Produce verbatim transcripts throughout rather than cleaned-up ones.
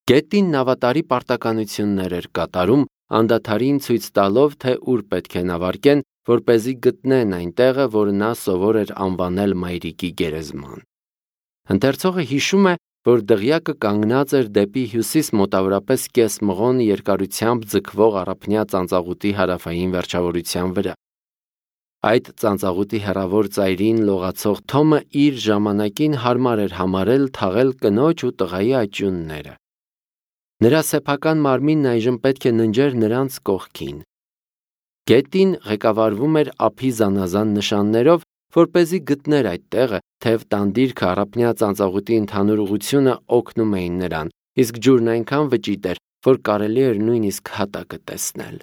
Գետին նավատարի պարտականություններ էր կատարում, անդադարին ցույց տալով, թե ուր պետք է նավարկեն, որպեսզի գտնեն այն տեղը, որ նա սովոր էր անվանել մայրիկի գերեզման։ Ընթերցողը հիշում է, որ դղյակը կանգնած էր դեպի հյուսիս մոտավորապես կես մղոն երկարությամբ ձգվող առափնյա ծանծաղուտի հարավային վերջավորության վրա։ Այդ ծանծաղուտի հեռավոր ծայրին լողացող Թոմը իր ժամանակին հարմար էր համարել թաղել կնոջ ու տղայի աճյունները։ Նրա սեփական մարմինն այժմ պետք է ննջեր նրանց կողքին։ Գետին ղեկավարվում էր ափի զանազան նշաններով, որպեսզի գտներ այդ տեղը, թեև տանդիրքը առափնյա ծանծաղուտի ընդհանուր ուղղությունը օգնում էին նրան, իսկ ջուրն այնքան վճիտ էր, որ կարելի էր նույնիսկ հատակը տեսնել։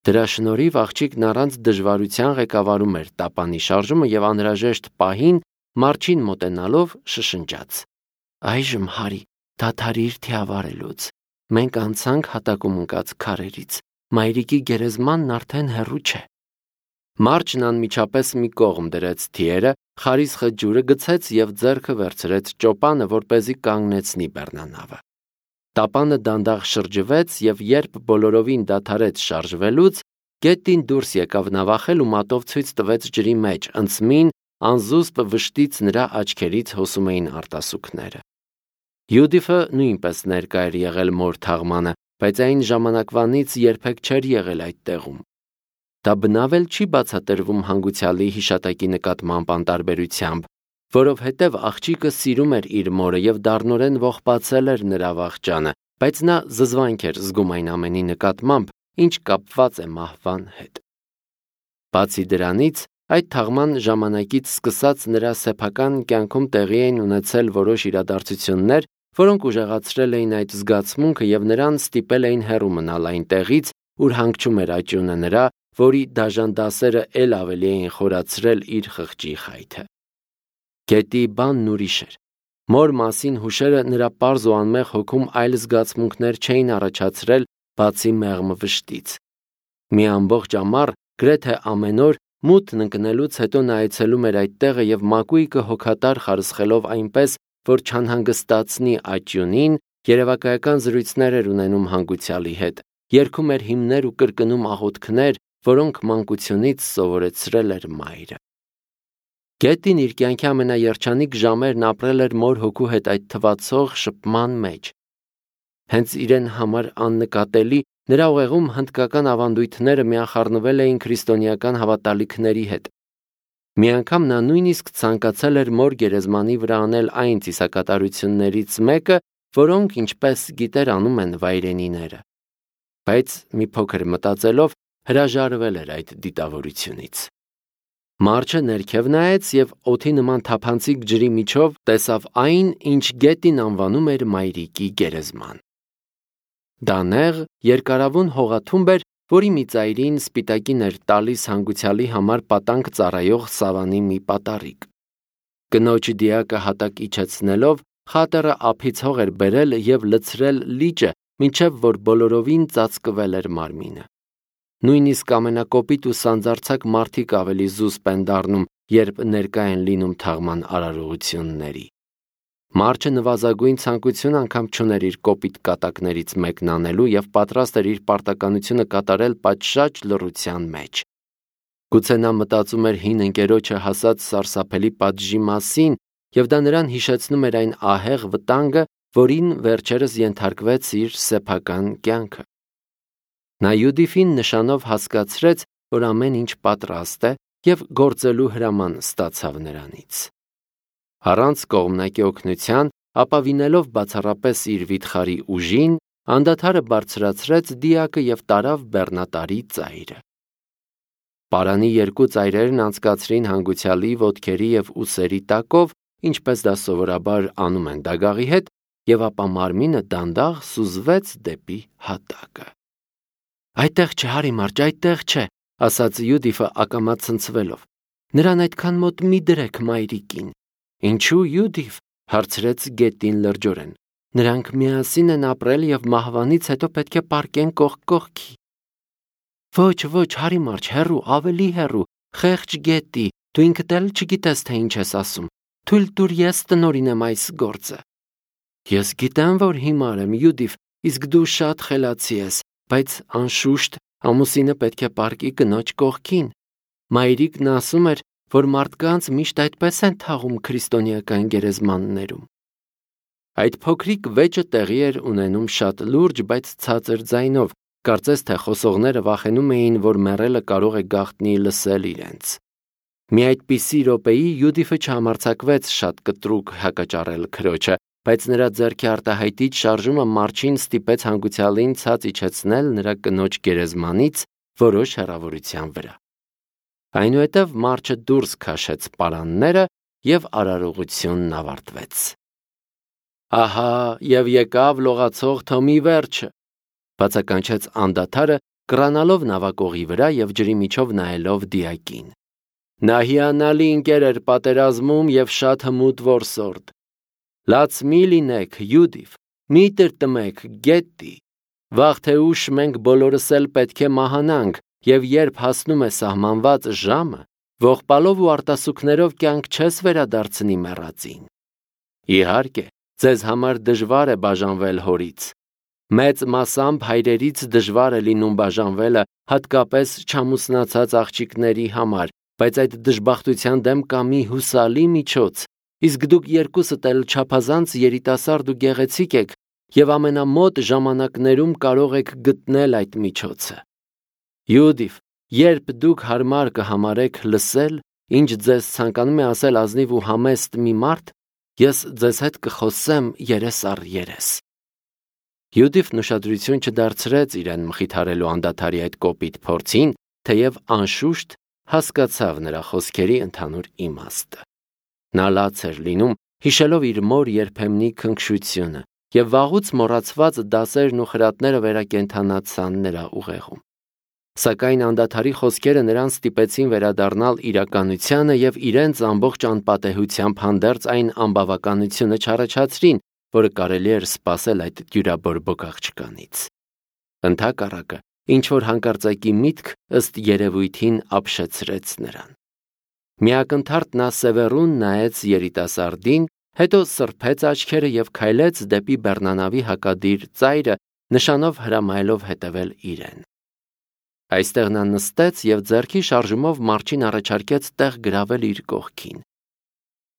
Դրա շնորհիվ աղջիկն առանց դժվարության ղեկավարում էր տապանի շարժումը եւ անհրաժեշտ պահին մարջին մոտենալով շշնջաց. «Այժմ, Հարի, դադարիր թիավարելուց։ Մենք անցանք հատակում ընկած քարերից։ Մայրիկի գերեզմանն արդեն հեռու չէ»։ Մարջն անմիջապես մի կողմ դրեց թիերը, խարիսխը ջուրը գցեց եւ ձեռքը վերցրեց ճոպանը, որպեսզի կանգնեցնի բեռնանավը։ Տապանը դանդաղ շրջվեց եւ երբ բոլորովին դադարեց շարժվելուց, գետին դուրս եկավ նավախել ու մատով ցույց տվեց ջրի մեջ, ընծմին անզուսպ վշտից նրա աչքերից հոսում էին արտասուքները։ Յուդիֆը նույնպես ներկա էր եղել մոր թաղմանը, բայց այն ժամանակվանից երբեք չէր եղել այդ տեղում։ Դա բնավ էլ չի բացատրվում հանգուցյալի հիշատակի նկատմամբ անտարբերությամբ, որովհետև աղջիկը սիրում էր իր մորը եւ դառնորեն ողբացել էր նրա վախճանը, բայց նա զզվանք էր զգում այն ամենի նկատմամբ, ինչ կապված է մահվան հետ։ Բացի դրանից, այդ թաղման ժամանակից սկսած նրա սեփական կյանքում տեղի էին ունեցել որոշ իրադարձություններ, որոնք ուժեղացրել էին այդ զգացմունքը եւ նրան ստիպել էին հեռու մնալ այն տեղից, ուր հանգչում էր աճյունը նրա, որի դաժան դասերը ել ավելի էին խորացրել իր խղճի խայթը։ Գետի բանն ուրիշ էր։ Մոր մասին հուշերը նրա պարզ ու անմեղ հոգում այլ զգացմունքներ չէին առաջացրել, բացի մեղմ վշտից։ Մի ամբողջ ամառ, գրեթե ամեն օր, մութն ընկնելուց հետո նա այցելում էր այդ տեղը եւ մակույկը հոգատար խարսխելով այնպես, որ չանհանգստացնի աճյունին, երևակայական զրույցներ էր ունենում հանգուցյալի հետ, երգում էր հիմներ ու կրկնում աղոթքներ, որոնք մանկությունից սովորեցրել էր մայրը։ Գետին իր կյանքի ամենաերջանիկ ժամերն ապրել էր մոր հոգու հետ այդ թվացող շփման մեջ։ Հենց իրեն համար աննկատելի, նրա ուղեղում հնդկական ավանդույթները միախառնվել էին քրիստոնեական հավատալիքների հետ։ Մի անգամ նա նույնիսկ ցանկացել էր մոր գերեզմանի վրա անել այն ծիսակատարություններից մեկը, որոնք, ինչպես գիտեր, անում են վայրենիները։ Բայց մի փոքր մտածելով հրաժարվել էր այդ դիտավորությունից։ Մարջը ներքև նայեց եւ օդի նման թափանցիկ ջրի միջով տեսավ այն, ինչ գետին անվանում էր մայրիկի գերեզման։ Դա նեղ, երկարավուն հողաթումբ էր, որի մի ծայրին սպիտակին էր տալիս հանգուցյալի համար պատանք ծառայող սավանի մի պատառիկ։ Կնոջ դիակը հատակ իջեցնելով, խատերը ափից հող էր բերել եւ լցրել լիճը, մինչև որ բոլորովին ծածկվել էր մարմինը։ Նույնիսկ ամենակոպիտ ու սանձարձակ մարդիկ ավելի զուսպ են դառնում, երբ ներկա են լինում թաղման արարողությունների։ Մարջը նվազագույն ցանկություն անգամ չուներ իր կոպիտ կատակներից մեկն անելու եւ պատրաստ էր իր պարտականությունը կատարել պատշաճ լռության մեջ։ Գուցե նա մտածում էր հին ընկերոջը հասած սարսափելի պատժի մասին, եւ դա նրան հիշեցնում էր այն ահեղ վտանգը, որին վերջերս ենթարկվեց իր սեփական կյանքը։ Նա Յուդիֆին նշանով հասկացրեց, որ ամեն ինչ պատրաստ է եւ գործելու հրաման ստացավ նրանից։ Առանց կողմնակի օգնության, ապավինելով բացառապես իր վիթխարի ուժին, անդադարը բարձրացրեց դիակը եւ տարավ բեռնատարի ծայրը։ Պարանի երկու ծայրերն անցկացրին հանգուցյալի ոտքերի եւ ուսերի տակով, ինչպես դա սովորաբար անում են դագաղի հետ, եւ ապա մարմինը դանդաղ սուզվեց դեպի հատակը։ «Այդտեղ չէ, Հարի մարջ, այդտեղ չէ», ասաց Յուդիֆը ակամա ցնցվելով։ «Նրան այդքան մոտ մի դրեք մայրիկին»։ «Ինչու, Յուդիֆ», հարցրեց Գետին լրջորեն։ «Նրանք միասին են ապրել եւ մահվանից հետո պետք է պառկեն կողք կողքի»։ «Ոչ, ոչ, Հարի մարջ, հեռու, ավելի հեռու, խեղճ Գետի, դու ինքդ էլ չգիտես, թե ինչ ես ասում։ Թույլ տուր ես տնօրինեմ այս գործը»։ Ես գիտեմ, որ հիմար եմ, Յուդիվ, իսկ դու շատ խելացի ես, բայց անշուշտ ամուսինը պետք է պառկի կնոջ կողքին։ Մայրիկն ասում էր, որ մարդկանց միշտ այդպես են թաղում քրիստոնեական գերեզմաններում։ Այդ փոքրիկ վեճը տեղի էր ունենում շատ լուրջ, բայց ցածր ձայնով, կարծես թե խոսողները վախենում էին, որ մեռելը կարող է գաղտնի լսել իրենց։ Մի այդպիսի րոպեի Յուդիֆը չհամարձակվեց շատ կտրուկ հակաճառել քրոջը, բայց նրա ձեռքի արտահայտիչ շարժումը Մարչին ստիպեց հանգուցյալին ցած իջեցնել նրա կնոջ գերեզմանից որոշ հեռավորության վրա։ Այնուհետև Մարչը դուրս քաշեց պարանները և արարողությունն ավարտվեց։ Ահա և եկավ լողացող Թոմի վերջը, բացականչեց անդադարը, կռանալով նավակողի վրա և ջրի միջով նայելով դիակին։ Նա հիանալի ընկեր էր պատերազմում և շատ հմուտ որսորդ։ Լաց մի լինեք, Յուդիվ, մի տրտմեք, Գետտի, վաղ թե ուշ մենք բոլորս էլ պետք է մահանանք, և երբ հասնում է սահմանված ժամը, ողբալով ու արտասուքներով կյանք չես վերադարձնի մեռածին։ Իհարկե, ձեզ համար դժվար է բաժանվել հորից։ Մեծ մասամբ հայրերից դժվար է լինում բաժանվելը, հատկապես չամուսնացած աղջիկների համար, բայց այդ դժբախտության դեմ կա մի հուսալի միջոց, իսկ դուք երկուսդ էլ չափազանց երիտասարդ ու գեղեցիկ եք և ամենամոտ ժամանակներում կարող եք գտնել այդ միջոցը։ Յուդիվ, երբ դուք հարմար կհամարեք լսել, ինչ ձեզ ցանկանում է ասել ազնիվ ու համեստ մի մարդ, ես ձեզ հետ կխոսեմ երես առ երես։ Յուդիվն ուշադրություն չդարձրեց իրեն մխիթարելու անդադարի այդ կոպիտ փորձին, թեև անշուշտ հասկացավ նրա խոսքերի ընդհանուր իմաստը։ Նա լաց էր լինում, հիշելով իր մոր երբեմնի քնքշությունը, և վաղուց մոռացված դասերն ու խրատները վերակենդանացան նրա ուղեղում։ Սակայն անդադարի խոսքերը նրան ստիպեցին վերադառնալ իրականությանը և իրենց ամբողջ անպատեհությամբ հանդերձ այն անբավականությունը չառաջացրին, որը կարելի էր սպասել այդ դյուրաբորբոք աղջկանից։ Ընդհակառակը, ինչ-որ հանկարծակի միտք ըստ երևույթին ապշեցրեց նրան։ Միակնթարթ նա սևեռուն նայեց երիտասարդին, հետո սրբեց աչքերը և քայլեց դեպի բեռնանավի հակադիր ծայրը, նշանով հրամայելով հետևել իրեն։ Այստեղ նա նստեց և ձեռքի շարժումով Մարչին առաջարկեց տեղ գրավել իր կողքին։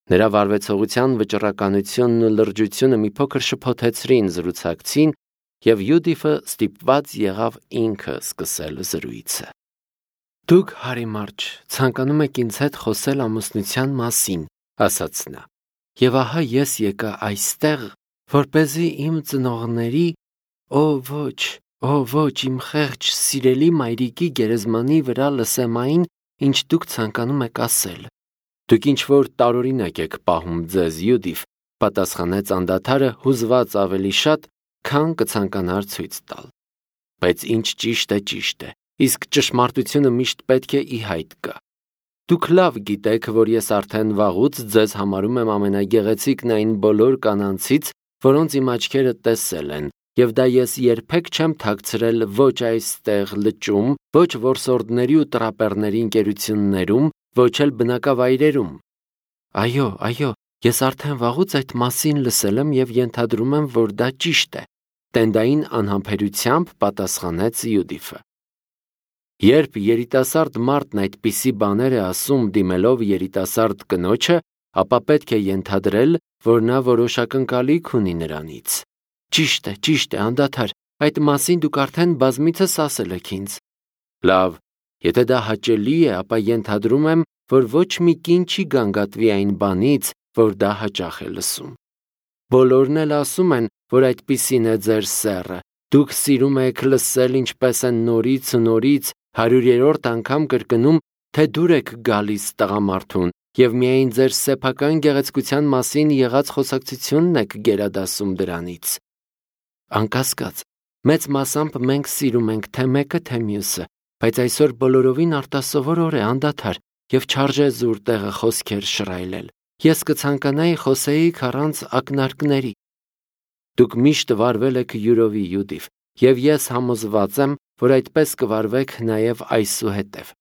Նրա վարվեցողության վճռականությունն ու լրջությունը մի փոքր շփոթեցրին զրուցակցին, և Յուդիֆը ստիպված եղավ ինքը սկսել զրույցը։ Դուք, Հարի Մարչ, ցանկանում եք ինձ հետ խոսել ամուսնության մասին, ասաց նա, և ահա ես եկա այստեղ, որպեսզի իմ ծնողների, օ ոչ, օ ոչ, իմ խեղճ սիրելի մայրիկի գերեզմանի վրա լսեմ այն, ինչ դուք ցանկանում եք ասել։ Դուք ինչ-որ տարօրինակ եք պահում ձեզ, Յուդիվ, պատասխանեց անդադարը հուզված ավելի շատ, քան կցանկանար ցույց տալ։ Բայց ինչ ճիշտ է, ճիշտ է, իսկ ճշմարտությունը միշտ պետք է ի հայտ գա։ Դուք լավ գիտեք, որ ես արդեն վաղուց ձեզ համարում եմ ամենագեղեցիկն այն բոլոր կանանցից, որոնց իմ աչքերը տեսել են, և դա ես երբեք չեմ թաքցրել ոչ այստեղ լճում, ոչ որսորդների ու տրապեռների ընկերություններում, ոչ էլ բնակավայրերում։ Այո, այո, ես արդեն վաղուց այդ մասին լսել եմ և ենթադրում եմ, որ դա ճիշտ է, տենդային անհամբերությամբ պատասխանեց Յուդիֆը։ Երբ երիտասարդ մարդն այդպիսի բաներ է ասում դիմելով երիտասարդ կնոջը, ապա պետք է ենթադրել, որ նա որոշ ակնկալիք ունի նրանից։ Ճիշտ է, ճիշտ է, անդադար, այդ մասին դուք արդեն բազմիցս ասել եք ինձ։ Լավ, եթե դա հաճելի է, ապա ենթադրում եմ, որ ոչ մի կին չի գանգատվի այն բանից, որ դա հաճախ է լսում։ Բոլորն էլ ասում են, որ այդպիսին է ձեր սեռը, դուք սիրում եք լսել ինչպես են նորից ու նորից հարյուրերորդ անգամ կրկնում, թե դուր եք գալիս տղամարդուն և միայն ձեր սեփական գեղեցկության մասին եղած խոսակցությունն եք գերադասում դրանից։ Անկասկած, մեծ մասամբ մենք սիրում ենք թե մեկը, թե մյուսը, բայց այսօր բոլորովին արտասովոր օր է, անդադար, և չարժե զուր տեղը խոսքեր շռայլել։ Ես կցանկանայի խոսեիք առանց ակնարկների։ Դուք միշտ վարվել եք յուրովի, Յուդիվ, և ես համոզված եմ, որ այդպես կվարվեք նաև այսուհետև։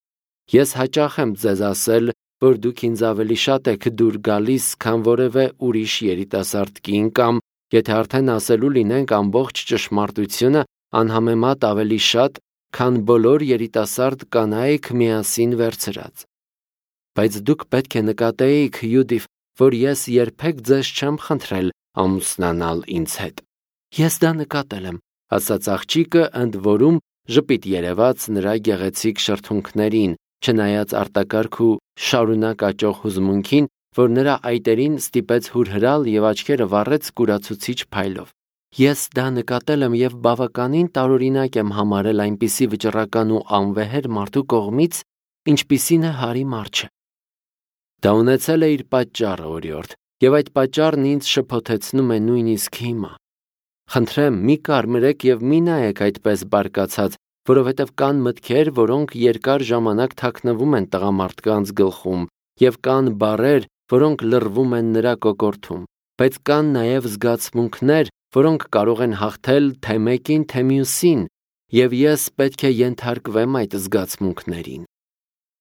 Ես հաճախ եմ ձեզ ասել, որ դուք ինձ ավելի շատ եք դուր գալիս, քան որևէ ուրիշ երիտասարդ կին կամ եթե արդեն ասելու լինենք ամբողջ ճշմարտությունը անհամեմատ ավելի շատ, քան բոլոր երիտասարդ կանայք միասին վերցրած։ Բայց դուք պետք է նկատեիք, Յուդիվ, որ ես երբեք ձեզ չեմ խնդրել ամուսնանալ ինձ հետ։ Ես դա նկատել եմ, ասաց աղջիկը, ընդ որում ժպիտ երևաց նրա գեղեցիկ շրթունքներին, չնայած արտակարգ ու շարունակ աճող հուզմունքին, որ նրա այտերին ստիպեց հուրհրալ եւ աչքերը վառեց կուրացուցիչ փայլով։ Ես դա նկատել եմ եւ բավականին տարօրինակ եմ համարել այնպիսի վճռական ու անվեհեր մարդու կողմից, ինչպիսին է Հարի Մարչը։ Դա ունեցել է իր պատճառը, օրիորդ, եւ այդ պատճառն ինձ շփոթեցնում է նույնիսկ հիմա։ Խնդրեմ, մի կարմրեք եւ մի նայեք այդպես բարկացած, որովհետեւ կան մտքեր, որոնք երկար ժամանակ թաքնվում են տղամարդկանց գլխում, եւ կան բառեր, որոնք լռվում են նրա կոկորդում, բայց կան նաեւ զգացմունքներ, որոնք կարող են հաղթել թե մեկին, թե մյուսին, եւ ես պետք է ենթարկվեմ այդ զգացմունքներին։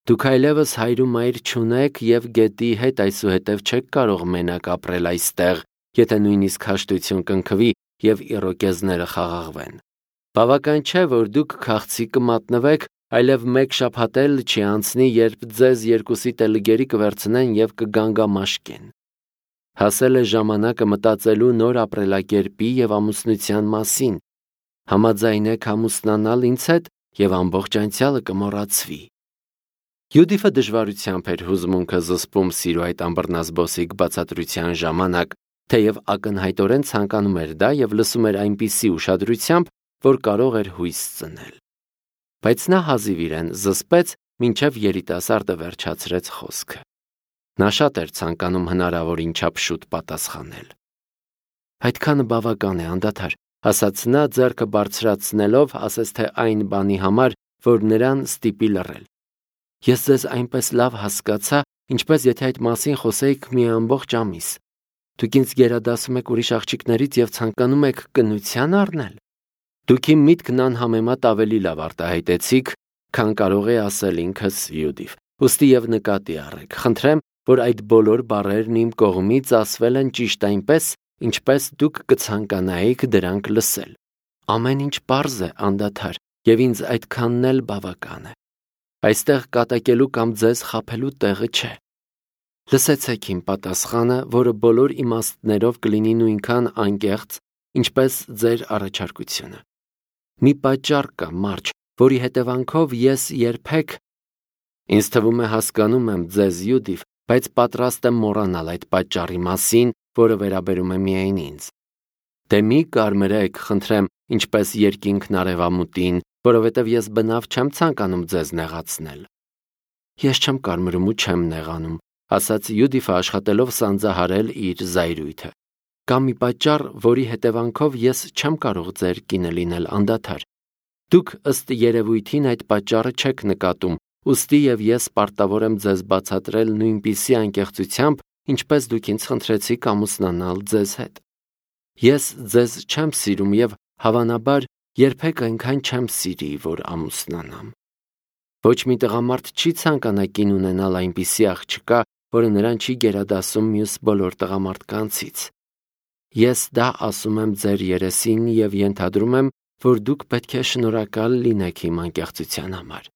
Դուք այլևս հայր ու մայր չունեք եւ գետի հետ այսուհետև չեք կարող մենակ ապրել այստեղ, եթե նույնիսկ հաշտություն կնքվի եւ իրոկեզները խաղաղվեն։ Բավական չէ, որ դուք քաղցի կմատնվեք, այլև մեկ շաբաթ էլ չի անցնի, երբ ձեզ երկուսիդ էլ գերի կվերցնեն եւ կգանգամաշկեն։ Հասել է ժամանակը մտածելու նոր ապրելակերպի եւ ամուսնության մասին։ Համաձայնեք ամուսնանալ ինձ հետ եւ ամբողջ անցյալը կմոռացվի։ Յուդիֆը դժվարությամբ էր հուզմունքը զսպում սիրո այդ ամբռնազբոսիկ բացատրության ժամանակ, թեև ակնհայտորեն ցանկանում էր դա եւ լսում էր այնպիսի ուշադրությամբ, որ կարող էր հույս ծնել։ Բայց նա հազիվ իրեն զսպեց, մինչև երիտասարդը վերջացրեց խոսքը։ Նա շատ էր ցանկանում հնարավորին չափ շուտ պատասխանել։ Այդքանը բավական է, անդադար, ասաց նա ձեռքը բարձրացնելով, ասես թե այն բանի համար, որ նրան ստիպի լռել։ Ես ձեզ այնպես լավ հասկացա, ինչպես եթե այդ մասին խոսեիք մի ամբողջ ամիս։ Դուք ինձ գերադասում եք ուրիշ աղջիկներից եւ ցանկանում եք կնության առնել։ Դուք իմ միտքն անհամեմատ ավելի լավ արտահայտեցիք, քան կարող է ասել ինքս Յուդիվ։ Ուստի եւ նկատի առեք, խնդրեմ, որ այդ բոլոր բառերն իմ կողմից ասվել են ճիշտ այնպես, ինչպես դուք կցանկանայիք դրանք լսել։ Ամեն ինչ պարզ է, անդադար, եւ ինձ այդքանն էլ բավական է։ Այստեղ կատակելու կամ ձեզ խաբելու տեղը չէ։ Լսեցեք իմ պատասխանը, որը բոլոր իմաստներով կլինի նույնքան անկեղծ, ինչպես ձեր առաջարկությունը։ Մի պատճառ կա, Մարջ, որի հետևանքով ես երբեք… Ինձ թվում է հասկանում եմ ձեզ, Յուդիվ, բայց պատրաստ եմ մոռանալ այդ պատճառի մասին, որը վերաբերում է միայն ինձ։ Դե մի կարմրեք, խնդրեմ, ինչպես երկինքն արևամուտին, որովհետև ես բնավ չեմ ցանկանում ձեզ նեղացնել։ Ես չեմ կարմրում ու չեմ նեղանում, ասաց Յուդիֆը աշխատելով սանձահարել իր զայրույթը։ Կա մի պատճառ, որի հետևանքով ես չեմ կարող ձեր կինը լինել անդադար։ Դուք ըստ երևույթին այդ պատճառը չեք նկատում, ուստի եւ ես պարտավոր եմ ձեզ բացատրել նույնպիսի անկեղծությամբ, ինչպես դուք ինձ խնդրեցիք ամուսնանալ ձեզ հետ։ Ես ձեզ չեմ սիրում եւ հավանաբար երբեք այնքան չեմ սիրի, որ ամուսնանամ։ Ոչ մի տղամարդ չի ցանկանա կին ունենալ այնպիսի աղջկա, որը նրան չի գերադասում մյուս բոլոր տղամարդկանցից։ Ես դա ասում եմ ձեր երեսին եւ ենթադրում եմ, որ դուք պետք է շնորհակալ լինեք իմ անկեղծության համար։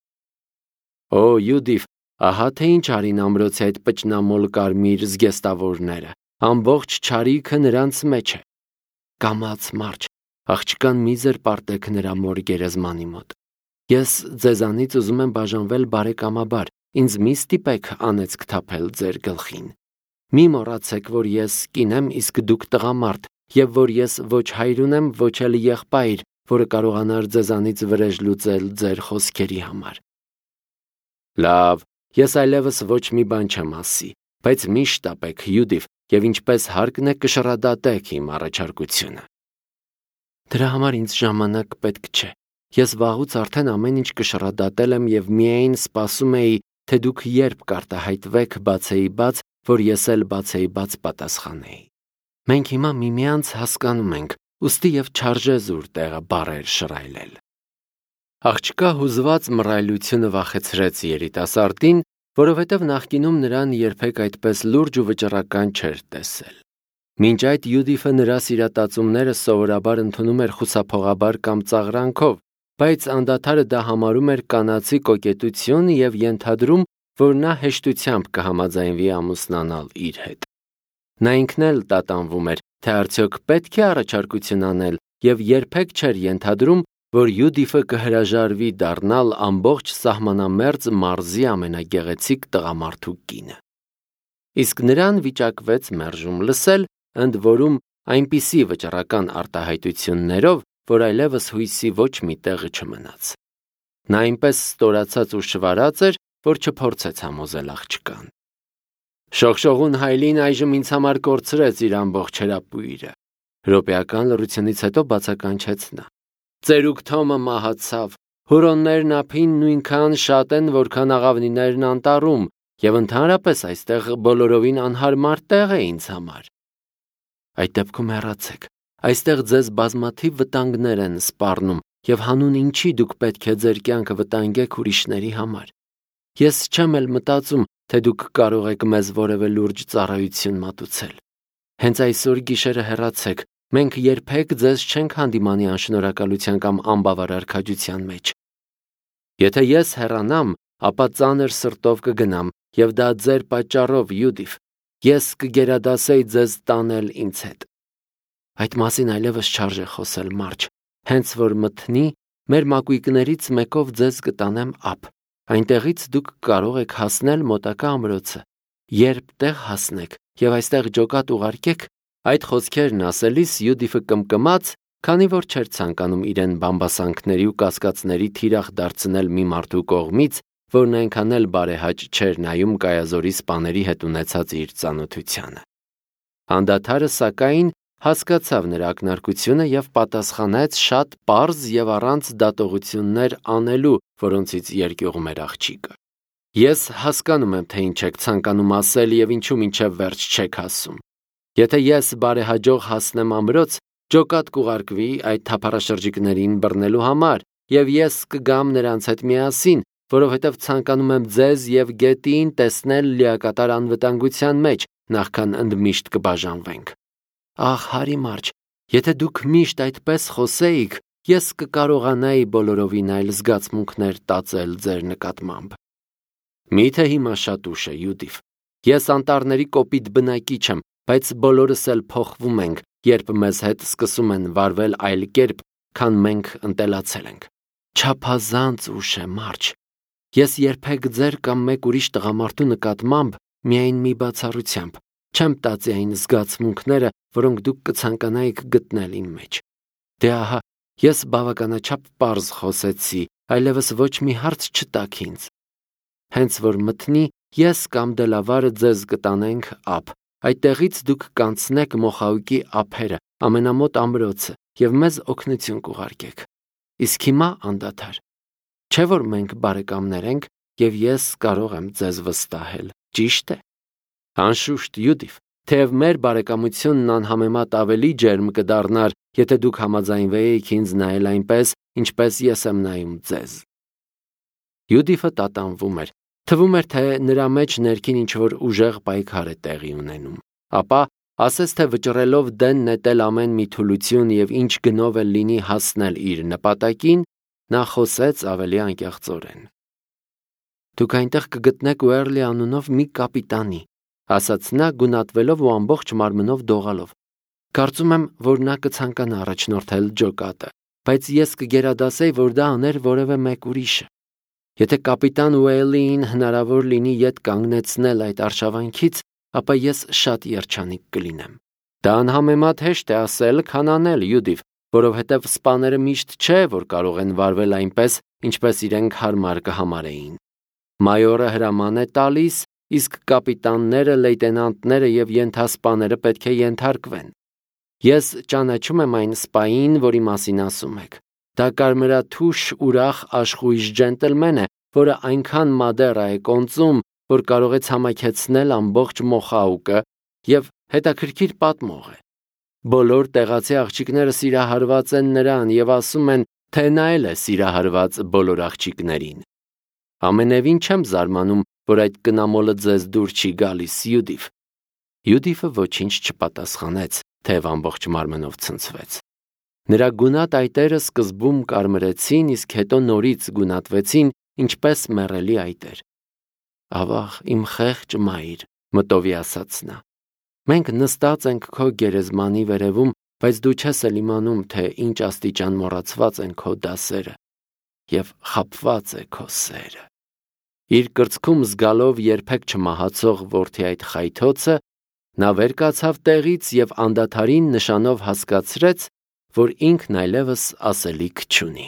Օ, Յուդիվ, ահա թե ինչ արին ամրոցի այդ պճնամոլ կարմիր զգեստավորները, ամբողջ չարիքը նրանց մեջ է։ Կամաց, Մարջ, աղջկան մի զրպարտեք նրա մոր գերեզմանի մոտ։ Ես ձեզանից ուզում եմ բաժանվել բարեկամաբար, ինձ մի ստիպեք անեծք թափել ձեր գլխին։ Մի մոռացեք, որ ես կին եմ, իսկ դուք տղամարդ, եւ որ ես ոչ հայր ունեմ, ոչ էլ եղբայր, որը կարողանար ձեզանից վրեժ լուծել ձեր խոսքերի համար։ Լավ, ես այլևս ոչ մի բան չեմ ասի, բայց մի շտապեք, Յուդիվ, եւ ինչպես հարկն է կշռադատեք իմ առաջարկությունը։ Դրա համար ինձ ժամանակ պետք չէ։ Ես վաղուց արդեն ամեն ինչ կշռադատել եմ եւ միայն սպասում էի, թե դուք երբ կարտահայտվեք բացեի բաց, որ ես էլ բացեի բաց պատասխանեի։ Մենք հիմա միմյանց հասկանում ենք, ուստի եւ չարժե զուր տեղը բարեր շռայլել։ Աղջկա հուզված մռայլությունը վախեցրեց երիտասարդին, որովհետև նախկինում նրան երբեք այդպես լուրջ ու վճռական չէր տեսել։ Մինչ այդ Յուդիֆը նրա սիրատացումները սովորաբար ընդունում էր խուսափողաբար կամ ծաղրանքով, բայց անդադարը դա համարում էր կանացի կոկետություն և ենթադրում, որ նա հեշտությամբ կհամաձայնվի ամուսնանալ իր հետ։ Նա ինքն էլ տատանվում էր, թե արդյոք պետք է առաջարկություն անել և երբեք չէր ենթադրում, որ Յուդիֆը կհրաժարվի դառնալ ամբողջ սահմանամերձ մարզի ամենագեղեցիկ տղամարդու կինը։ Իսկ նրան վիճակվեց մերժում լսել, ընդ որում այնպիսի վճռական արտահայտություններով, որ այլևս հույսի ոչ մի տեղը չմնաց։ Նա այնպես ստորացած ու շվարած էր, որ չփորձեց համոզել աղջկան։ Շողշողուն հայլին այժմ ինձ համար կորցրեց իր ամբողջ հրապույրը, րոպեական լռությունից հետո բացականչեց նա։ Ծերուկ Թոմը մահացավ, հուրոններն ափին նույնքան շատ են, որքան աղավնիներն անտառում, և ընդհանրապես այստեղ բոլորովին անհարմար տեղ է ինձ համար։ Այդ դեպքում հեռացեք, այստեղ ձեզ բազմաթիվ վտանգներ են սպառնում, և հանուն ինչի դուք պետք է ձեր կյանքը վտանգեք ուրիշների համար։ Ես չեմ էլ մտածում, թե դուք կարող եք մեզ որևէ լուրջ ծառայություն մատուցել։ Հենց այսօր գիշերը հեռացեք, մենք երբեք ձեզ չենք հանդիմանի անշնորհակալության կամ անբավարար քաջության մեջ։ Եթե ես հեռանամ, ապա ծանր սրտով կգնամ, և դա ձեր պատճառով, Յուդիֆ, ես կգերադասեի ձեզ տանել ինձ հետ։ Այդ մասին այլևս չարժե խոսել, մարջ, հենց որ մթնի, մեր մակույկներից մեկով ձեզ կտանեմ ափ, այնտեղից դուք կարող եք հասնել մոտակա ամրոցը, երբ տեղ հասնեք և այստեղ ջոկատ ուղարկեք։ Այդ խոսքերն ասելիս Յուդիֆը կմկմաց, քանի որ չէր ցանկանում իրեն բամբասանքների ու կասկածների թիրախ դարձնել մի մարդու կողմից, որն այնքան էլ բարեհաճ չէր նայում Կայազորի սպաների հետ ունեցած իր ծանոթությանը։ Անդադարը, սակայն, հասկացավ նրա ակնարկությունը և պատասխանեց շատ պարզ և առանց դատողություններ անելու, որոնցից երկյուղում էր աղջիկը։ Ես հասկանում եմ, թե ինչ եք ցանկանում ասել և ինչու մինչև վերջ չեք ասում։ Եթե ես բարեհաջող հասնեմ ամրոց, ջոկատ կուղարկվի այդ թափառաշրջիկներին բռնելու համար, և ես կգամ նրանց հետ միասին, որովհետև ցանկանում եմ ձեզ և գետին տեսնել լիակատար անվտանգության մեջ, նախքան ընդմիշտ կբաժանվենք։ Ահ, հարի մարջ, եթե դուք միշտ այդպես խոսեիք, ես կկարողանայի բոլորովին այլ զգացմունքներ տածել ձեր նկատմամբ։ Միթե հիմա շատ ուշ է, Յուդիֆ։ Ես անտառների կոպիտ բնակիչ եմ, բայց բոլորս էլ փոխվում ենք, երբ մեզ հետ սկսում են վարվել այլ կերպ, քան մենք ընտելացել ենք։ Չափազանց ուշ է, մարջ։ Ես երբեք ձեր կամ մեկ ուրիշ տղամարդու նկատմամբ միայն մի բացառությամբ չեմ տածի այն զգացմունքները, որոնք դուք կցանկանայիք գտնել իմ մեջ։ Դե ահա, ես բավականաչափ պարզ խոսեցի, այլևս ոչ մի հարց չտաք ինձ։ Հենց որ մթնի, ես կամ Դելավարը ձեզ կտանենք ափ, այդտեղից դուք կանցնեք Մոխաուկի ափերը, ամենամոտ ամրոցը, և մեզ օգնություն կուղարկեք։ Իսկ հիմա անդադար։ Չէ՞ որ մենք բարեկամներ ենք, և ես կարող եմ ձեզ վստահել, ճի՞շտ է։ Անշուշտ, Յուդիֆ, թեև մեր բարեկամությունն անհամեմատ ավելի ջերմ կդառնար, եթե դուք համաձայնվեիք ինձ նայել այնպես, ինչպես ես եմ նայում ձեզ։ Յուդիֆը տատանվում էր, թվում էր, թե նրա մեջ ներքին ինչ-որ ուժեղ պայքար է տեղի ունենում, ապա, ասես թե վճռելով դեն նետել ամեն մի թուլություն և ինչ գնով էլ լինի հասնել իր նպատակին, նա խոսեց ավելի անկեղծորեն։ Դուք այնտեղ կգտնեք Ուերլի անունով մի կապիտանի, ասաց նա գունատվելով ու ամբողջ մարմնով դողալով։ Կարծում եմ, որ նա կցանկանա առաջնորդել ջոկատը, բայց ես կգերադասեի, որ դա աներ որևէ մեկ ուրիշը։ Եթե կապիտան Ուեյլին հնարավոր լինի ետ կանգնեցնել այդ արշավանքից, ապա ես շատ երջանիկ կլինեմ։ Դա անհամեմատ հեշտ է ասել, քան անել, Յուդիֆ, որովհետև սպաները միշտ չէ, որ կարող են վարվել այնպես, ինչպես իրենք հարմար կհամարեին։ Մայորը հրաման է տալիս, իսկ կապիտանները, լեյտենանտները և ենթասպաները պետք է ենթարկվեն։ Ես ճանաչում եմ այն սպային, որի մասին ասում եք։ Դա կարմրաթուշ ուրախ աշխույժ ջենտլմեն է, որը այնքան մադերա է կոնծում, որ կարող է ցամաքեցնել ամբողջ Մոխաուկը և հետաքրքիր պատմող է։ Բոլոր տեղացի աղջիկները սիրահարված են նրան և ասում են, թե նա էլ է սիրահարված բոլոր աղջիկներին։ Ամենևին չեմ զարմանում, որ այդ կնամոլը ձեզ դուր չի գալիս, Յուդիֆ։ Յուդիֆը ոչինչ չպատասխանեց, թեև ամբողջ մարմնով ցնցվեց։ Նրա գունատ այտերը սկզբում կարմրեցին, իսկ հետո նորից գունատվեցին, ինչպես մեռելի այտեր։ «Ավաղ, իմ խեղճ մայր», մտովի ասաց նա, մենք նստած ենք քո գերեզմանի վերևում, բայց դու չես էլ իմանում, թե ինչ աստիճան մոռացված են քո դասերը և խաբված է քո սերը։ Իր կրծքում զգալով երբեք չմահացող որդի այդ խայթոցը, նա վեր կացավ տեղից և անդադարին նշանով հասկացրեց, որ ինքն այլևս ասելիք չունի։